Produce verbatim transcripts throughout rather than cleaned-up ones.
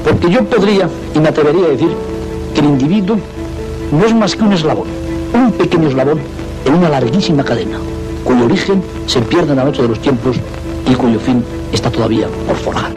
Porque yo podría, y me atrevería a decir, que el individuo no es más que un eslabón, un pequeño eslabón en una larguísima cadena, cuyo origen se pierde en la noche de los tiempos y cuyo fin está todavía por forjar.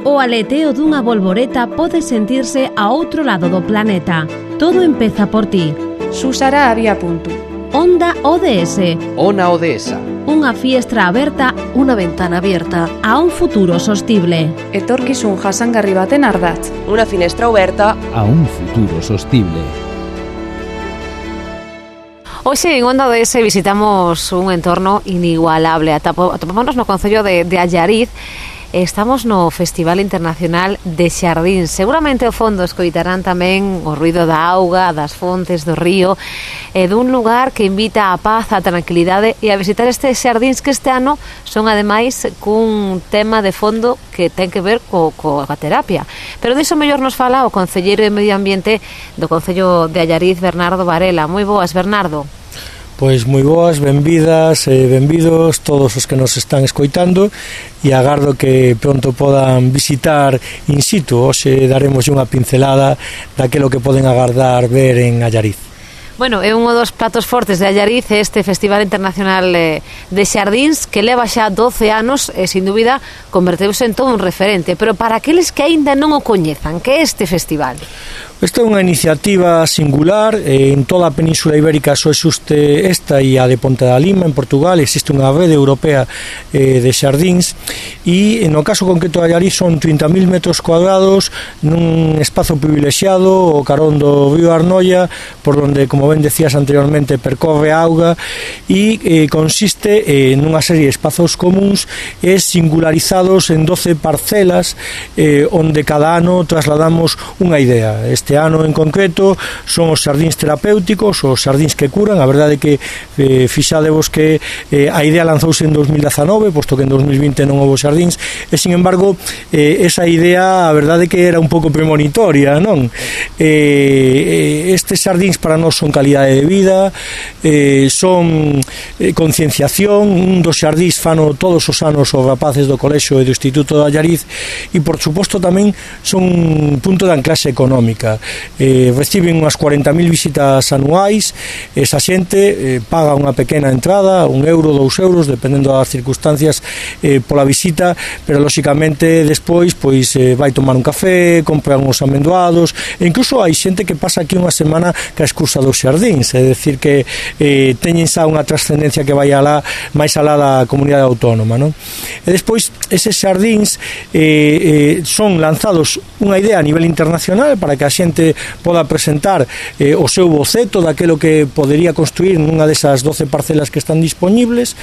O aleteo dunha bolboreta pode sentirse a outro lado do planeta. Todo empeza por ti. Susara había punto. Onda O D S. Ona Odesa. Unha fiestra aberta, unha ventana abierta a un futuro sostible. Etorkizun jasangarri baten ardatz. Unha finestra aberta a un futuro sostible. Hoxe en Onda O D S visitamos un entorno inigualable. Atopámonos no concello de, de Allariz. Estamos no Festival Internacional de Xardíns. Seguramente ao fondo escoitarán tamén o ruido da auga, das fontes, do río, e dun lugar que invita á paz, á tranquilidade e a visitar estes xardíns que este ano son ademais cun tema de fondo que ten que ver co, coa terapia. Pero diso mellor nos fala o concelleiro de Medio Ambiente do Concello de Allariz, Bernardo Varela. Moi boas, Bernardo. Pois moi boas, benvidas e benvidos todos os que nos están escoitando e agardo que pronto podan visitar in situ. Hoxe daremos unha pincelada daquelo que poden agardar ver en Allariz. Bueno, é un dos platos fortes de Allariz, este Festival Internacional de Xardíns que leva xa doce anos e, sin dúbida, converteuse en todo un referente. Pero para aqueles que aínda non o coñezan, que é este festival? Esta é unha iniciativa singular. En toda a Península Ibérica só existe esta e a de Ponte da Lima, en Portugal. Existe unha rede europea eh, de xardíns e no caso concreto de Allariz son trinta mil metros cuadrados nun espazo privilexiado, o carón do río Arnoia, por onde, como ben decías anteriormente, percorre a auga e eh, consiste eh, nunha serie de espazos comuns e singularizados en doce parcelas eh, onde cada ano trasladamos unha idea. Este ano en concreto son os xardíns terapéuticos, os xardíns que curan. A verdade é que eh, fixadevos que eh, a idea lanzouse en dos mil dezanove, posto que en dos mil vinte non houve xardíns, e sin embargo eh, esa idea a verdade é que era un pouco premonitoria, non? Eh, estes xardíns para nós son calidade de vida, eh, son eh, concienciación. Un dos xardíns fano todos os anos os rapaces do colexio e do Instituto de Allariz e por suposto tamén son un punto de anclaxe económica. Eh, reciben unhas cuarenta mil visitas anuais. Esa xente eh, paga unha pequena entrada, un euro, dous euros, dependendo das circunstancias, eh, pola visita, pero lóxicamente despois pois eh, vai tomar un café, compra uns amendoados, e incluso hai xente que pasa aquí unha semana que a excusa dos xardíns, é dicir que eh, teñen xa unha trascendencia que vai alá, máis alá da comunidade autónoma, non? E despois eses xardíns eh, eh, son lanzados unha idea a nivel internacional para que a xente poda presentar eh, o seu boceto daquelo que podería construir nunha desas doce parcelas que están disponibles.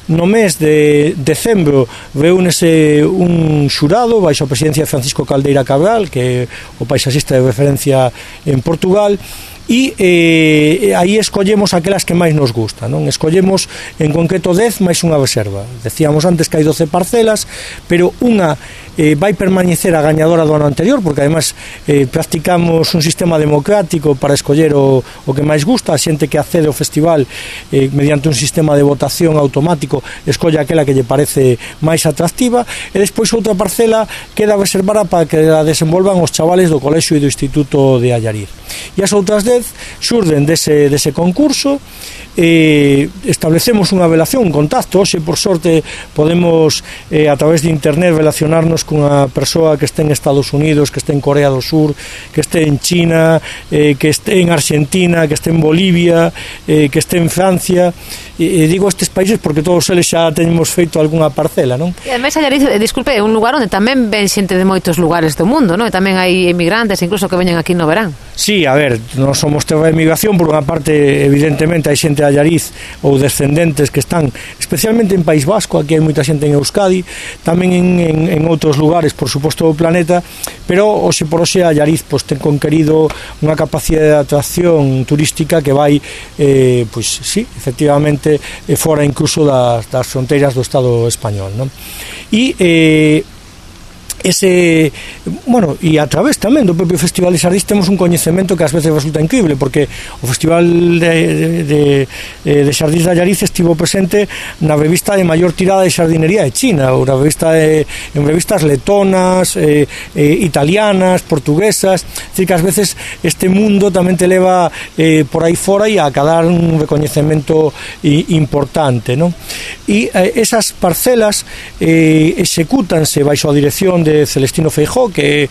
No mes de decembro reúnese un xurado baixo a presidencia de Francisco Caldeira Cabral, que é o paisaxista de referencia en Portugal, e eh, aí escollemos aquelas que máis nos gustan, non? Escollemos en concreto dez máis unha reserva. Decíamos antes que hai doce parcelas, pero unha eh, vai permanecer a gañadora do ano anterior, porque además eh, practicamos un sistema democrático para escoller o, o que máis gusta. A xente que accede ao festival eh, mediante un sistema de votación automático escolle aquela que lle parece máis atractiva, e despois outra parcela queda reservada para que a desenvolvan os chavales do colexio e do Instituto de Allariz. E as outras dez xurden dese, dese concurso. Eh, establecemos unha relación, un contacto. Hoxe, por sorte, podemos eh, a través de internet relacionarnos cunha persoa que este en Estados Unidos, que este en Corea do Sur, que este en China, eh, que este en Argentina, que este en Bolivia, eh, que este en Francia. E eh, digo estes países porque todos eles xa teñemos feito algunha parcela, non? E ademais, Allariz, disculpe, é un lugar onde tamén ven xente de moitos lugares do mundo, non? E tamén hai emigrantes, incluso que veñen aquí no verán. Sí, a ver, non somos terra de emigración. Por unha parte, evidentemente, hai xente de Allariz ou descendentes que están especialmente en País Vasco. Aquí hai moita xente en Euskadi, tamén en, en, en outros lugares, por suposto, do planeta, pero hoxe por hoxe Allariz pois, ten conquerido unha capacidade de atracción turística que vai, eh, pois sí, efectivamente, eh, fora incluso das, das fronteiras do Estado español, non? E eh, ese, bueno, e a través tamén do propio Festival de Xardín temos un coñecemento que ás veces resulta increíble, porque o Festival de, de, de, de Xardín de Allariz estivo presente na revista de maior tirada de xardinería de China, ou na revista de, en revistas letonas, eh, eh, italianas, portuguesas, é dicir, que ás veces este mundo tamén te leva eh, por aí fora e a cadar un recoñecemento i, importante, non? E eh, esas parcelas eh, execútanse baixo a dirección de Celestino Feijóo, que é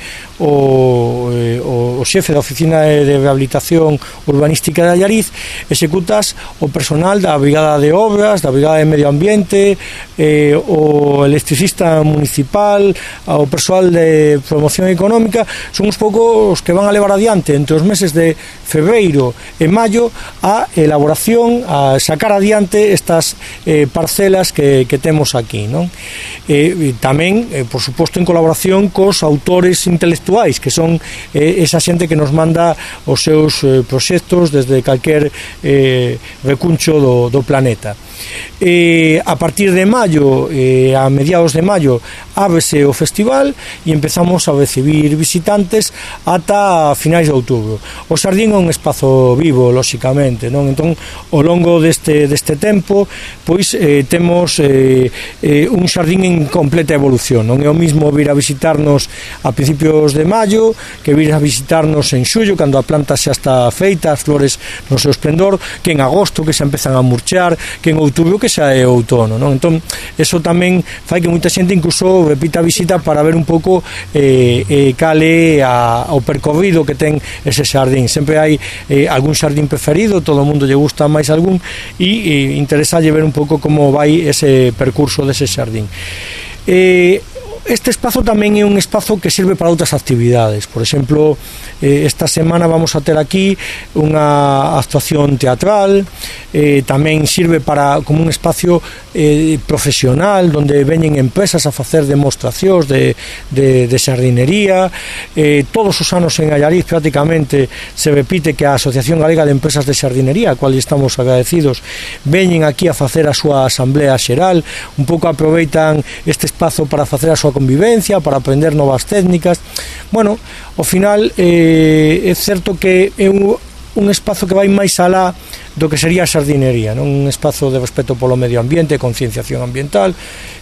o, eh, o xefe da Oficina de Rehabilitación Urbanística de Allariz. Executas o personal da Brigada de Obras, da Brigada de Medio Ambiente, eh, o electricista municipal, o persoal de promoción económica. Son uns poucos os que van a levar adiante entre os meses de febreiro e maio a elaboración, a sacar adiante estas eh, parcelas que, que temos aquí, non? Eh, e tamén, eh, por suposto, en colaboración cos autores intelectuais, que son eh, esa xente que nos manda os seus eh, proxectos desde calquer eh, recuncho do, do planeta. Eh, a partir de maio, eh, a mediados de maio, ábrese o festival e empezamos a recibir visitantes ata finais de outubro. O xardín é un espazo vivo, lóxicamente, non? Entón, ao longo deste, deste tempo, pois eh, temos eh, eh, un xardín en completa evolución. Non é o mismo vir a visitarnos a principios de maio que vir a visitarnos en xullo, cando a planta xa está feita, as flores no seu esplendor, que en agosto, que xa empezan a murchear, que en outubro, que xa é outono, non? Entón, eso tamén fai que moita xente incluso repita a visita para ver un pouco eh, eh, cale a, o percorrido que ten ese xardín. Sempre hai eh, algún xardín preferido, todo o mundo lle gusta máis algún, e eh, interesalle ver un pouco como vai ese percurso dese xardín. Eh, Este espazo tamén é un espazo que sirve para outras actividades. Por exemplo, eh, esta semana vamos a ter aquí unha actuación teatral, eh, tamén sirve para como un espacio eh, profesional, onde veñen empresas a facer demostracións de, de, de xardinería. Eh, todos os anos en Allariz prácticamente se repite que a Asociación Galega de Empresas de Xardinería, a cual estamos agradecidos, veñen aquí a facer a súa asamblea xeral, un pouco aproveitan este espazo para facer a súa convivencia, para aprender novas técnicas. Bueno, ao final eh, é certo que é un, un espazo que vai máis alá do que sería a xardinería, non? Un espazo de respeto polo medio ambiente, concienciación ambiental,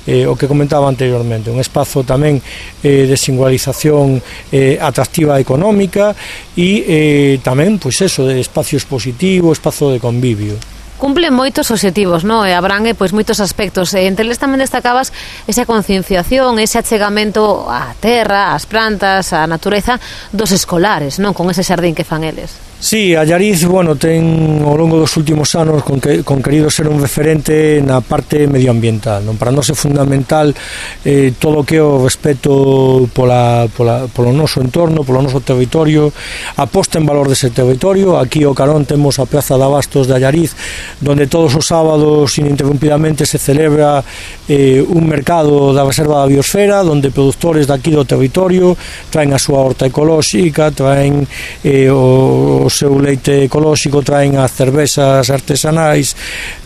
eh, o que comentaba anteriormente, un espazo tamén eh, de singularización eh, atractiva económica e eh, tamén, pois eso, de espacio expositivo, espazo de convivio. Cumple moitos obxectivos, no? E abrangue pois moitos aspectos. E entre eles tamén destacabas esa concienciación, ese achegamento á terra, ás plantas, á natureza dos escolares, non? Con ese xardín que fan eles. Sí, Allariz, bueno, ten ao longo dos últimos anos con, que, con querido ser un referente na parte medioambiental, non? Para nós é fundamental eh, todo o que é o respeto pola, pola, polo noso entorno, polo noso territorio, a posta en valor dese territorio. Aquí ao carón temos a Praza de Abastos de Allariz, donde todos os sábados ininterrumpidamente se celebra eh, un mercado da Reserva da Biosfera, donde produtores daqui do territorio traen a súa horta ecolóxica, traen eh, o seu leite ecolóxico, traen as cervezas artesanais,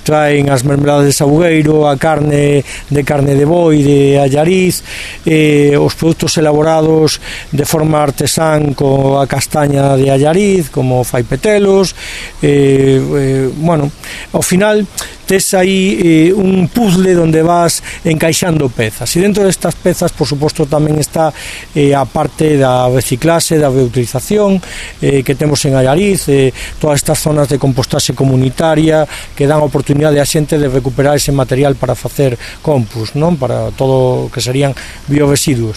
traen as mermeladas de sabugueiro, a carne de carne de boi de Allariz, eh, os produtos elaborados de forma artesán con a castaña de Allariz, como fai Petelos. eh, eh, bueno, ao final tes aí eh, un puzzle donde vas encaixando pezas, e dentro destas pezas, por suposto, tamén está eh, a parte da reciclase, da reutilización eh, que temos en Allariz, eh, todas estas zonas de compostaxe comunitaria que dan a oportunidade a xente de recuperar ese material para facer compost, non? Para todo o que serían bioresiduos.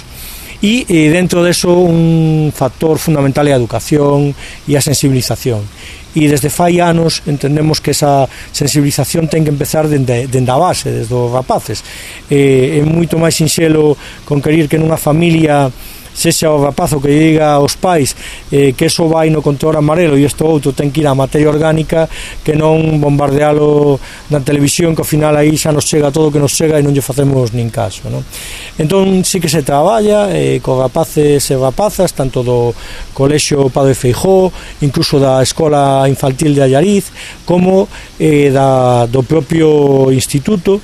E eh, dentro deso un factor fundamental é a educación e a sensibilización. E desde fai anos entendemos que esa sensibilización ten que empezar dende, dende a base, desde os rapaces. Eh, é moito máis sinxelo conquerir que nunha familia sexa o rapazo que diga aos pais eh, que eso vai no contenedor amarelo e isto outro ten que ir á materia orgánica, que non bombardealo na televisión, que ao final aí xa nos chega todo o que nos chega e non lle facemos nin caso, non? Entón sí que se traballa eh, co rapaces e rapazas, tanto do Colexio Padre Feijóo, incluso da Escola Infantil de Allariz, como eh, da, do propio instituto,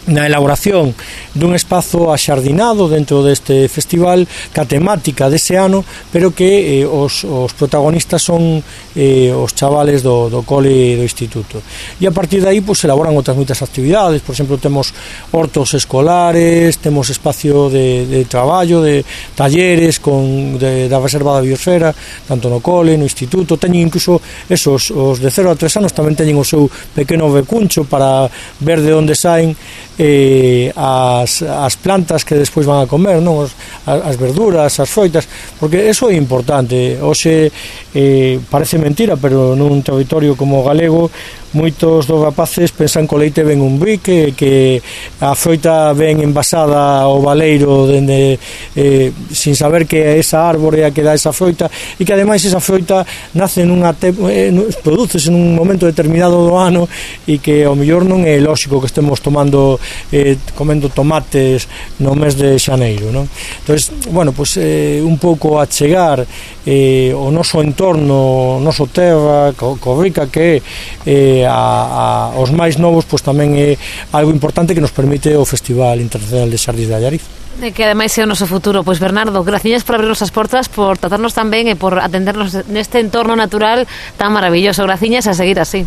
na elaboración dun espazo axardinado dentro deste festival ca temática dese ano, pero que eh, os, os protagonistas son eh, os chavales do, do cole e do instituto. E a partir de aí pues, se elaboran outras moitas actividades. Por exemplo, temos hortos escolares, temos espacio de, de traballo, de talleres con, de, da Reserva da Biosfera, tanto no cole, no instituto. Teñen incluso esos, os de cero a tres anos tamén teñen o seu pequeno becuncho para ver de onde saen eh, as, as plantas que despois van a comer, non? As, as verduras, as froitas, porque eso é importante. Hoxe eh, parece mentira, pero nun territorio como o galego moitos dos rapaces pensan que o leite ven un brique, que a froita ven envasada ao baleiro dende, eh, sin saber que é esa árbore a que dá esa froita, e que ademais esa froita nace nunha te, eh, produces en un momento determinado do ano, e que ao mellor non é lógico que estemos tomando eh, comendo tomates no mes de xaneiro, non? Entonces, bueno, pues, eh, un pouco a chegar eh, o noso entorno, o noso terra, co, co rica que é eh, A, a, os máis novos, pois tamén é algo importante que nos permite o Festival Internacional de Xardín de Allariz. E que ademais é o noso futuro. Pois Bernardo, gracias por abrirnos as portas, por tratarnos tan ben e por atendernos neste entorno natural tan maravilloso. Graciñas, a seguir así.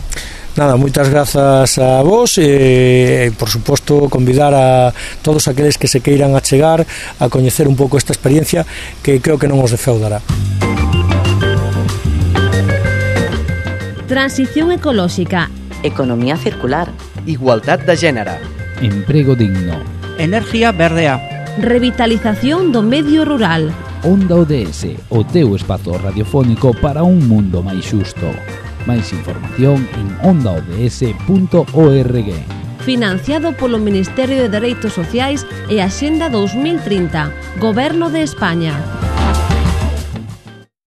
Nada, moitas grazas a vos e, por suposto, convidar a todos aqueles que se queiran achegar a coñecer un pouco esta experiencia que creo que non os defraudará. Transición ecolóxica, economía circular, igualdad de género, emprego digno, energía verdea, revitalización do medio rural. Onda O D S, o teu espazo radiofónico para un mundo máis xusto. Máis información en onda o d s punto org. Financiado polo Ministerio de Dereitos Sociais e Axenda dos mil trinta, Goberno de España.